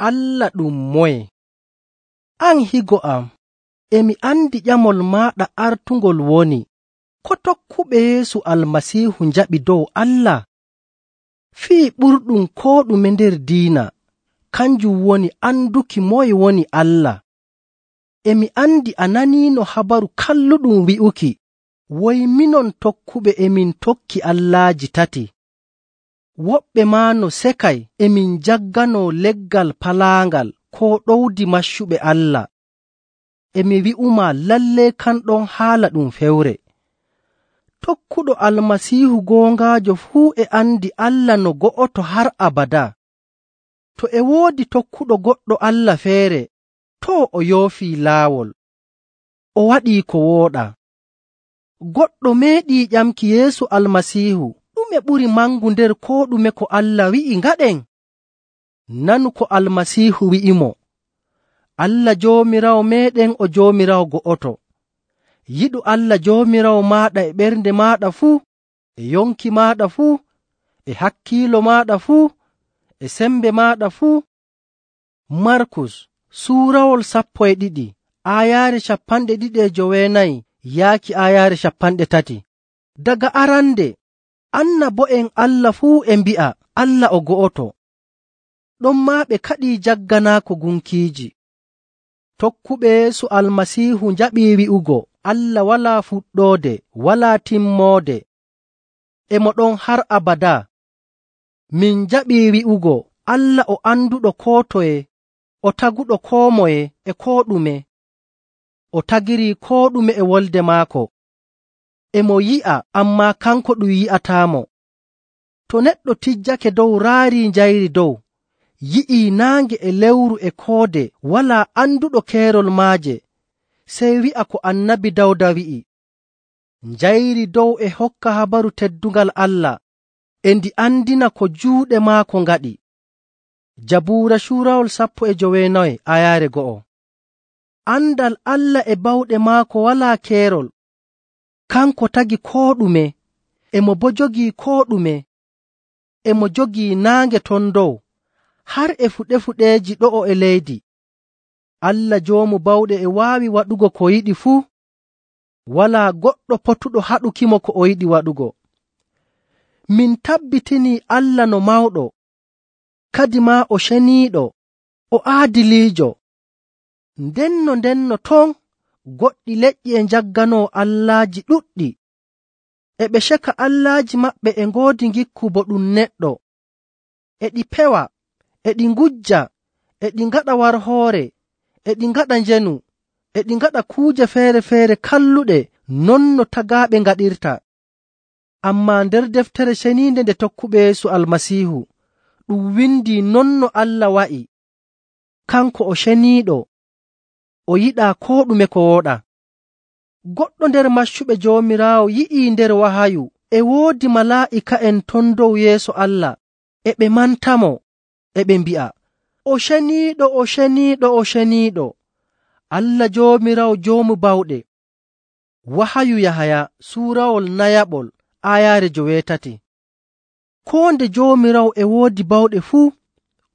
Allah ɗum moye? An higo am, emi andi ƴamol maaɗa artungol woni, ko tokkuɓe Yeesu Almasiihu njaɓi dow Allah? Fii ɓurɗum koo ɗume nder diina kanjum woni anduki moye woni Allah. Emi andi a naniino habaru kalluɗum wi'uki, woy minon tokkuɓe emin tokki allaaji tati. Woɓɓe maa no sekay emin jagganoo leggal palaangal koo ɗowdi maccuɓe Allah. Emi wi'umaa lallee kanɗon haala ɗum fewre. Tokkuɗo Almasiihu goongaajo fuu e andi Allah no go'oto har abadaa. To e woodi tokkuɗo goɗɗo Allah feere, too o yoofii laawol, o waɗii ko wooɗaa. Goɗɗo meeɗii ƴamki Yeesu Almasiihu, ɗume ɓuri mangu nder koo ɗume ko Allah wi'i ngaɗen? Nanu ko Almasiihu wi'imo, Allah Joomiraawo meeɗen o Joomiraawo go'oto. Yiɗu Allah Joomiraawo maaɗa e ɓernde maaɗa fuu, e yonki maaɗa fuu, e hakkiilo maaɗa fuu, e sembe maaɗa fuu. Markus suurawol 12 aayaare 29 yaaki aayaare 30. Daga arande annabo'en Allah fuu e mbi'a Allah o go'oto. Ɗonmaa ɓe kaɗii jagganaako gunkiiji. Tokkuɓe Yeesu Almasiihu njaɓii wi'ugo Allah walaa fuɗɗoode, walaa timmoode, e mo ɗon har abadaa. Min njaɓii wi'ugo Allah o anduɗo koo toye, o taguɗo koo moye e koo ɗume. O tagirii koo ɗume e wolde maako. E mo yi'a, ammaa kanko ɗum yi'ataamo. To neɗɗo tijjake dow raarii njayri dow, yi'ii naange e lewru e koode walaa anduɗo keerol maaje, sey wi'a ko Annabi Dawda wi'i, njayri dow e hokka habaru teddungal Allah, e ndi andina ko juuɗe maako ngaɗi. Jabuura suurawol 19 aayaare 1. Andal Allah e bawɗe maako walaa keerol. Kanko tagi koo ɗume, e mo boo jogii koo ɗume. E mo jogii naange ton dow, har e fuɗe-fuɗeeji ɗo'o e leydi. Allah Joomu Bawɗe e waawi waɗugo ko yiɗi fuu. Walaa goɗɗo potuɗo haɗukimo ko o yiɗi waɗugo. Min tabbitinii Allah no mawɗo, kadi maa o ceniiɗo, o aadiliijo. Ndenno ton goɗɗi leƴƴi e njagganoo allaaji ɗuɗɗi. E ɓe ceka allaaji maɓɓe e ngoodi ngikku bo ɗum neɗɗo. E ɗi pewa, e ɗi ngujja, e ɗi ngaɗa warhoore, e ɗi ngaɗa njenu, e ɗi ngaɗa kuuje feere-feere kalluɗe non no tagaaɓe ngaɗirta. Ammaa nder deftere ceniinde nde tokkuɓe Yeesu Almasiihu, ɗum windii non no Allah wa'i. Kanko o ceniiɗo, o yiɗaa koo ɗume ko wooɗaa. Goɗɗo nder maccuɓe Joomiraawo yi'ii nder wahayu e woodi malaa'ika'en ton dow yeeso Allah, e ɓe mantamo, e ɓe mbi'a, o ceniiɗo, o ceniiɗo, o ceniiɗo, Allah Joomiraawo Joomu Bawɗe. Wahayu Yahaya suurawol 4 aayaare 8. Koo nde Joomiraawo e woodi bawɗe fuu,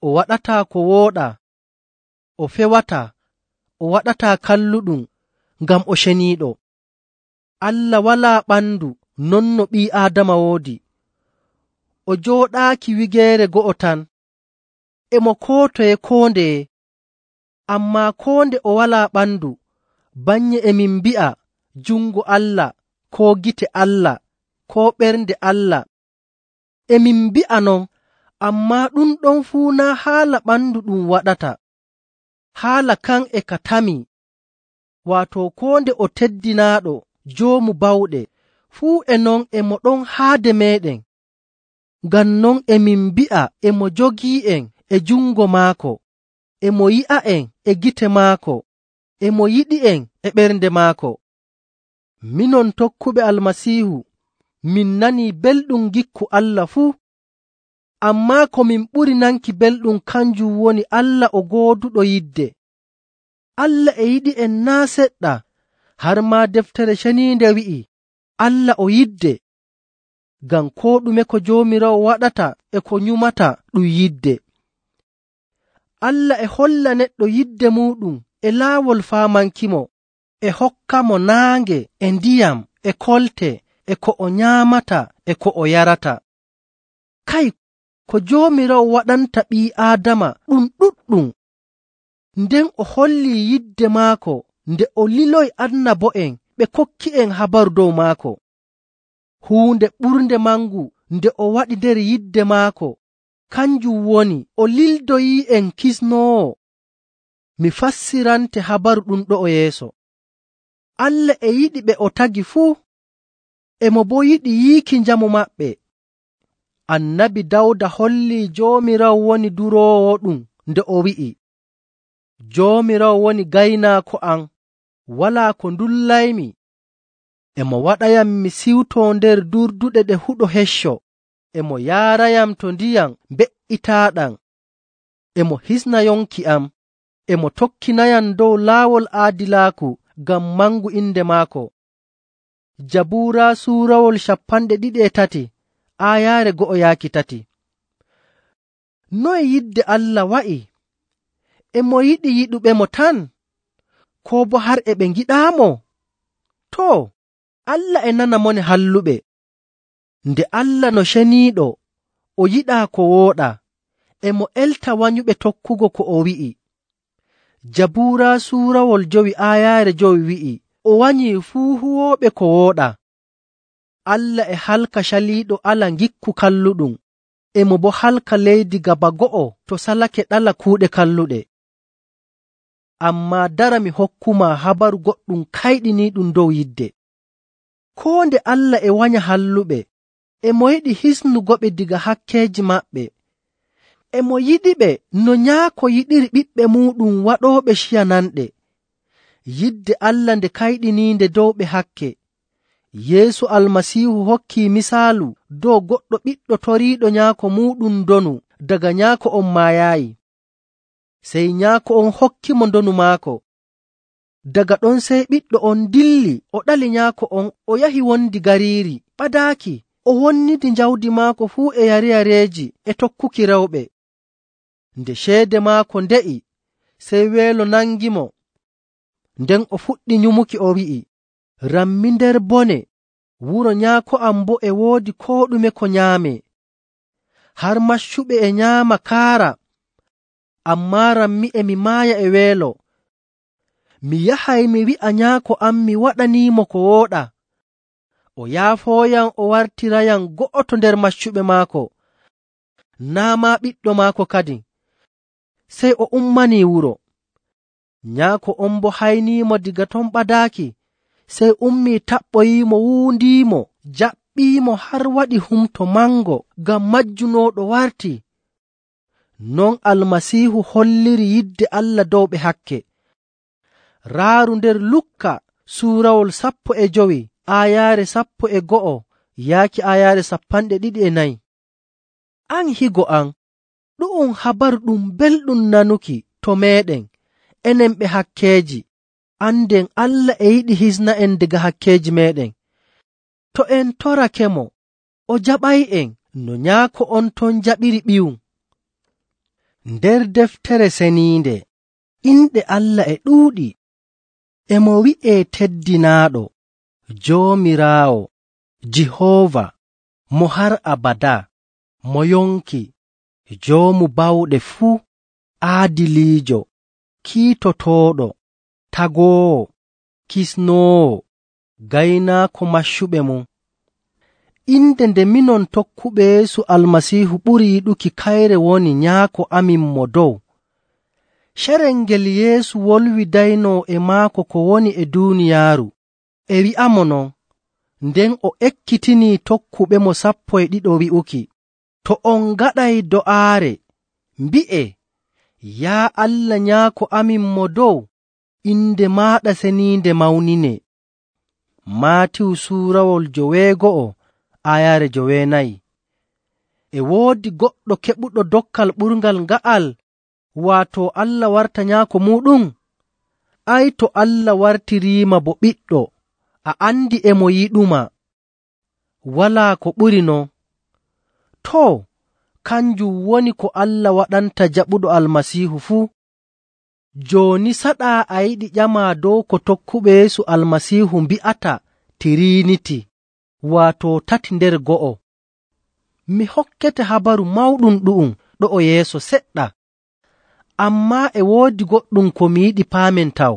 o waɗataa ko wooɗaa, o fewataa, o waɗataa kalluɗum, ngam o ceniiɗo. Allah walaa ɓandu non no ɓii Aadama woodi. O jooɗaaki wigeere go'o tan, e mo koo toye koo ndeye. Ammaa koo nde o walaa ɓandu, bannye emin mbi'a jungo Allah, koo gite Allah, koo ɓernde Allah. Emin mbi'a non, ammaa ɗum ɗon fuu naa haala ɓandu ɗum waɗata. Haala kan e ka tamii, waato koo nde o teddinaaɗo Joomu Bawɗe, fuu e non e mo ɗon haade meeɗen. Ngam non emin mbi'a e mo jogii'en e jungo maako, e mo yi'a'en e gite maako, e mo yiɗi'en e ɓernde maako. Minon tokkuɓe Almasiihu, min nanii belɗum gikku Allah fuu. Ammaa ko min ɓuri nanki belɗum kanjum woni Allah o gooduɗo yidde. Allah e yiɗi'en naa seɗɗa, har maa deftere ceniinde wi'i, Allah o yidde. Ngam koo ɗume ko Joomiraawo waɗata e ko nyumata ɗum yidde. Allah e holla neɗɗo yidde muuɗum e laawol faamankimo, e hokkamo naange e ndiyam e kolte e ko o nyaamata e ko o yarata. Kay, ko Joomiraawo waɗanta ɓii Aadama ɗum ɗuɗɗum. Nden o hollii yidde maako nde o liloyi annabo'en ɓe kokki'en habaru dow maako. Huunde ɓurnde mangu nde o waɗi nder yidde maako kanjum woni o lildoyii'en kisnoowo. Mi fassirante habaru ɗum ɗo'o yeeso. Allah e yiɗi ɓe o tagi fuu, emo boo yiɗi yiiki njamu maɓɓe. Annabi Dawda hollii Joomiraawo woni duroowo ɗum nde o wi'i, Joomiraawo woni gaynaako am, walaa ko ndullaymi. Emo waɗayam mi siwtoo nder durduɗe ɗe huɗo hecco. Emo yaarayam to ndiyam mbe'itaaɗam. Emo hisna yonki am. Emo tokkinayam dow laawol aadilaaku ngam mangu inde maako. Jabuura suurawol 23 aayaare 1-3. Noye yidde Allah wa'i? Emo yiɗi yiɗuɓemo tan, koo bo har e ɓe ngiɗaamo? Too, Allah e nana mone halluɓe. Nde Allah no ceniiɗo, o yiɗaa ko wooɗa, emo elta wanyuɓe tokkugo ko o wi'i. Jabuura suurawol 5 aayaare 5 wi'i, o wanyii fuu huwooɓe ko wooɗa. Allah e halka caliiɗo ala ngikku kalluɗum, emo bo halka leydi gaba go'o to salake ɗala kuuɗe kalluɗe. Ammaa dara mi hokkuma habaru goɗɗum kayɗiniiɗum dow yidde. Koo nde Allah e wanya halluɓe, emo yiɗi hisnugoɓe diga hakkeeji maɓɓe. Emo yiɗiɓe no nyaako yiɗiri ɓiɓɓe muuɗum waɗooɓe ciyananɗe. Yidde Allah nde kayɗiniinde dow ɓe hakke. Yeesu Almasiihu hokkii misaalu dow goɗɗo ɓiɗɗo toriiɗo nyaako muuɗum ndonu daga nyaako on maayaayi. Sey nyaako on hokkimo ndonu maako. Daga ɗon sey ɓiɗɗo on dilli o ɗali nyaako on o yahi wondi gariiri ɓadaaki, o wonnidi jawdi maako fuu e yare-yareeji e tokkuki rewɓe. Nde ceede maako nde'i, sey weelo nangimo. Nden o fuɗɗi nyumuki o wi'i, rammi nder bone, wuro nyaako am boo e woodi koo ɗume ko nyaamee. Har maccuɓe e nyaama kaara, ammaa rammi e mi maaya e weelo. Mi yahay mi wi'a nyaako am mi waɗaniimo ko wooɗa. O yaafooyam o wartirayam go'oto nder maccuɓe maako, naa maa ɓiɗɗo maako kadin. Sey o ummanii wuro. Nyaako on boo hayniimo diga ton ɓadaaki, sey ummii taɓɓoyiimo, wuundiimo, jaɓɓiimo har waɗi humto mango ngam majjunooɗo warti. Non Almasiihu holliri yidde Allah dow ɓe hakke. Raaru nder Lukka suurawol 15 aayaare 11 yaaki aayaare 24. An higo am, ɗu'um habaru ɗum belɗum nanuki to meeɗen, enen ɓe hakkeeji, anden Allah e yiɗi hisna'en daga hakkeeji meeɗen. To en torakemo, o jaɓay'en no nyaako on ton jaɓiri ɓiyum. Nder deftere seniinde, inɗe Allah e ɗuuɗi. Emo wi'ee teddinaaɗo, Joomiraawo, Jihoova, mo har abada, mo yonki, joomu bawɗe fuu, aadiliijo, kiitotooɗo, tagoowo, kisnoowo, gaynaako maccuɓe mum. Inde nde minon tokkuɓe Yeesu Almasiihu ɓuri yiɗuki kayre woni nyaako amin mo dow. Carel ngel Yeesu wolwidaynoo e maako ko woni e duuniyaaru, e wi'amo non, nden o ekkitinii tokkuɓemo 12 wi'uki, to on ngaɗay do'aare, mbi'e, yaa Allah nyaako amin mo dow, inde maaɗa seniinde mawnine. Maatiw suurawol 9 aayaare 9. E woodi goɗɗo keɓuɗo dokkal ɓurngal nga'al, waato Allah warta nyaako muuɗum? Ay, to Allah wartiriima bo ɓiɗɗo, a andi emo yiɗuma. Walaa ko ɓuri non. Too, kanjum woni ko Allah waɗanta jaɓuɗo Almasiihu fuu. Jooni saɗaa a yiɗi ƴamaa dow ko tokkuɓe Yeesu Almasiihu mbi'ata Tiriiniti, waato tati nder go'o. Mi hokkete habaru mawɗum ɗu'um ɗo'o yeeso seɗɗa. Ammaa e woodi goɗɗum ko mi yiɗi paamen taw.